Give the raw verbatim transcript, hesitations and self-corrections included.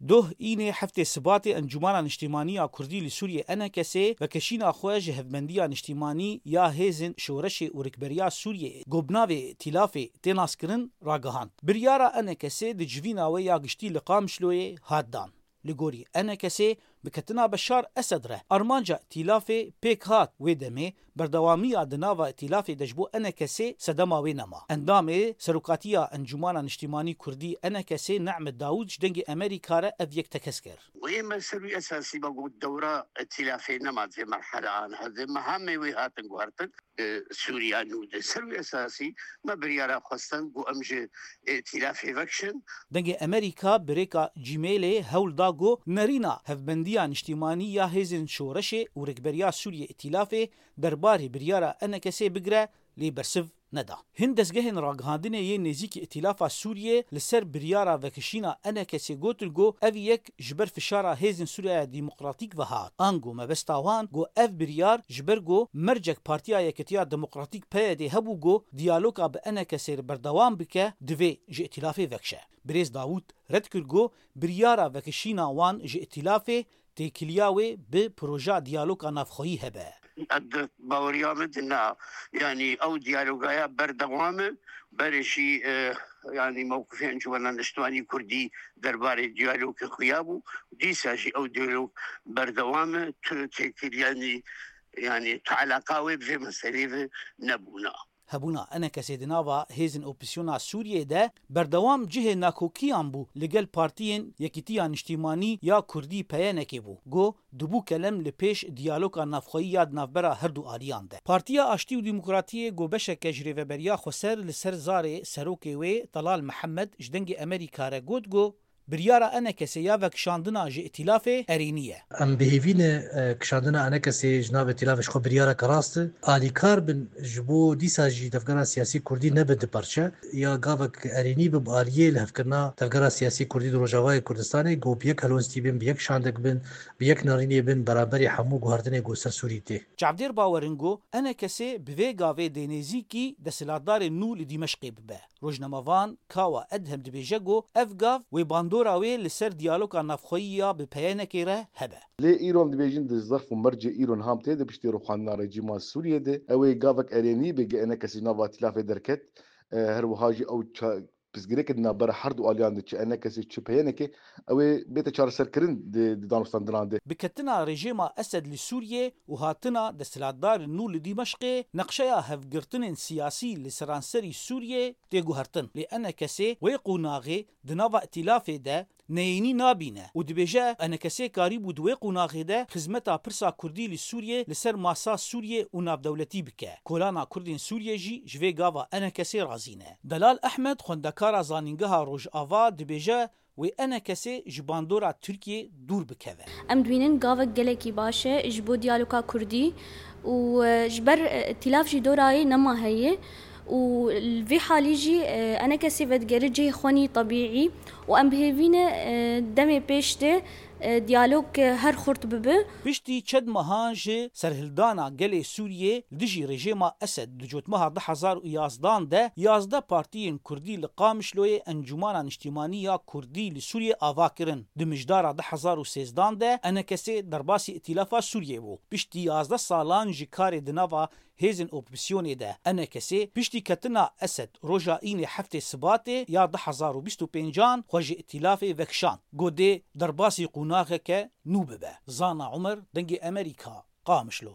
Doh înê heftê Sibatê Encûmana Niştîmanî ya Kurdî li Sûriyê E N K S vekeşîna xwe ji Hevbendiya Niştîmanî ya Hêzên Şoreşê û Rikberiya Sûriyeyê ku bi navê Îtîlafê tê naskirin ragihand. Biryara E N K S di civîna wê ya giştî li Qamişloyê hat dan. Li gorî E N K S, bi ketina Beşar Esed re armanca Îtîlafê pêk hat, wê demê berdewamiya di nava Îtîlafê de ji bo E N K S sedema wê nema. Endamê Serokatiya Encûmana Niştîmanî Kurdî E N K S Nehmet Dawûd ji Dengê Amerîka re ev yek tekez kir. Wê me ser wî esasî me got dewra Îtîlafê nema di vê merheleyan hevdê me hemê wê hatin guhertin. E, Sûriya nû de ser wî esasî me biryara xwestin ku em ji Îtîlafê vekişin. Dengê Amerîka bi rêka Gmailê hewl da ku nerîna Hevbendiya Niştîmanî ya Hêzên Şoreşê û Rikberiya Sûriyê Îtîlafê derbarê biryara E N K S'ê bigire, lê bersiv neda. Hin dezgehên ragihandinê yên nêzîkî Îtîlafa Sûriyê li ser biryara vekişîna E N K S'ê gotin ku ev yek ji ber fişara hêzên Sûriya Demokratîk ve hat. Ango mebesta wan ku ev biryar ji ber ku mercek Partiya Yeketiya Demokratîk P Y D hebû ku diyaloga bi E N K S'ê re berdewam bike, divê ji Îtîlafê vekişe. Birêz Dawûd red kir ku biryara vekişîna wan ji Îtîlafê têkiliya wê bi proja diyaloga navxweyî hebe. Ez di baweriya min de na, yanî ew diyalogaya berdewam e, berê jî, e, yanî mewqifê Encûmena Niştimanî Kurdî derbarê diyalogê xuya bû. Dîsa jî ew diyalog berdewam e. Tu têkil, yanî, yanî tu eleqa wê bi vê meselê ve nebûna. Hebûna E N K S'ê di nava hêzên opozîsyona Sûriyê de berdewam cihê nakokiyan bû li gel partiyên Yekîtiya Niştîmanî ya Kurdî P Y N K'ê bû. Got, dibû kelem li pêş diyaloga navxweyî ya di navbera her du aliyan de. Partiya Aştî û Demokratiyê ku beşeke ji Rêveberiya Xweser li ser zarê serokê wê Telal Mihemed ji Dengê Amerîka re got ku biryara E N K S'ê ya vekişandina ji Îtîlafê erênî ye. Em bi hêvî ne, e, kişandina E N K S'ê ji nav Îtîlafê ji xwe biryareke rast e. Alîkar bin ji bo dîsa jî tevgera siyasî Kurdî nebe du parçe. Ya gavek erênî be bi aliyê lihevkirina tevgera siyasî Kurdî di Rojavayê Kurdistanê, ku bi yek helwestî bin, bi yek şandek bin, bi yek nerînê bin, beraberî hemû guhertinê ku ser Sûrî tê. Çavdêr bawer in ku E N K S bi vê gavê dê nêzîkî desthilatdarên nû li Dîmeşqê bibe. Rojnamevan Kawa Edhem dibêje ku ev gav wê bandora wê li ser diyaloga navxweyî ya bi P Y N K'ê re hebe. Lê îro em dibêjin di zerf û mercê îro niha em tê de piştî rûxandina rejîma Sûriyê de, ew ê gavek erênî bê, ge E N K S ji nava îtîlafê derket, e, her wiha jî ew ça-, pirsgirêkê di navbera her du aliyan de, çi E N K S çi P Y N K, ew ê bête çareserkirin di, di danûstandinan de. Biketina rejîma Esed li Sûriyê û hatina desthilatdarên nû li Dîmeşqê, neqşeya hevgirtinên siyasî li seranserî Sûriyê tê guhertin. Lê E N K S wê qonaxê di nava îtîlafê de neyênî nabîne û dibêje E N K S karîbû di wê qonaxê de xizmeta pirsa Kurdî li Sûriyê li ser masa Sûriyê û navdewletî bike. Kolana Kurdên Sûriyê jî ji vê gava E N K S razî ne. Delal Ehmed, xwendekara Zanîngeha Rojava, dibêje wê E N K S ji bandora Tirkiyê dûr bikeve. Em dibînin gavek gelekî baş e ji bo diyaloga Kurdî û, e, ji ber, e, îtîlaf jî dora wê nema heye û li vî halî jî, e, E N K S vedigere cihê xwenî tebîî û em bi hêvî ne, e, demê pêş de, e, diyalog, e, her xurt bibe. Piştî çend mehan ji serhildana gelê Sûriyê li dijî rejîma Esed di cotmeha du hezar û yazdan de yazdeh partiyên Kurdî li Qamişloyê Encûmana Niştîmanî ya Kurdî li Sûriyê ava kirin. Di mijdara du hezar û sêzdan de E N K S derbasî Îtîlafa Sûriyê bû. Piştî yazdeh salan ji karê di nava hêzên opozîsyonê de E N K S piştî ketina Esed roja înê heftê Sibatê ya du hezar û bîst û pêncan xwe ji Îtîlafê vekişand. Got dê derbasî qonaxeke nû bibe. Zana Umer, Dengê Amerîka, Qamişlo.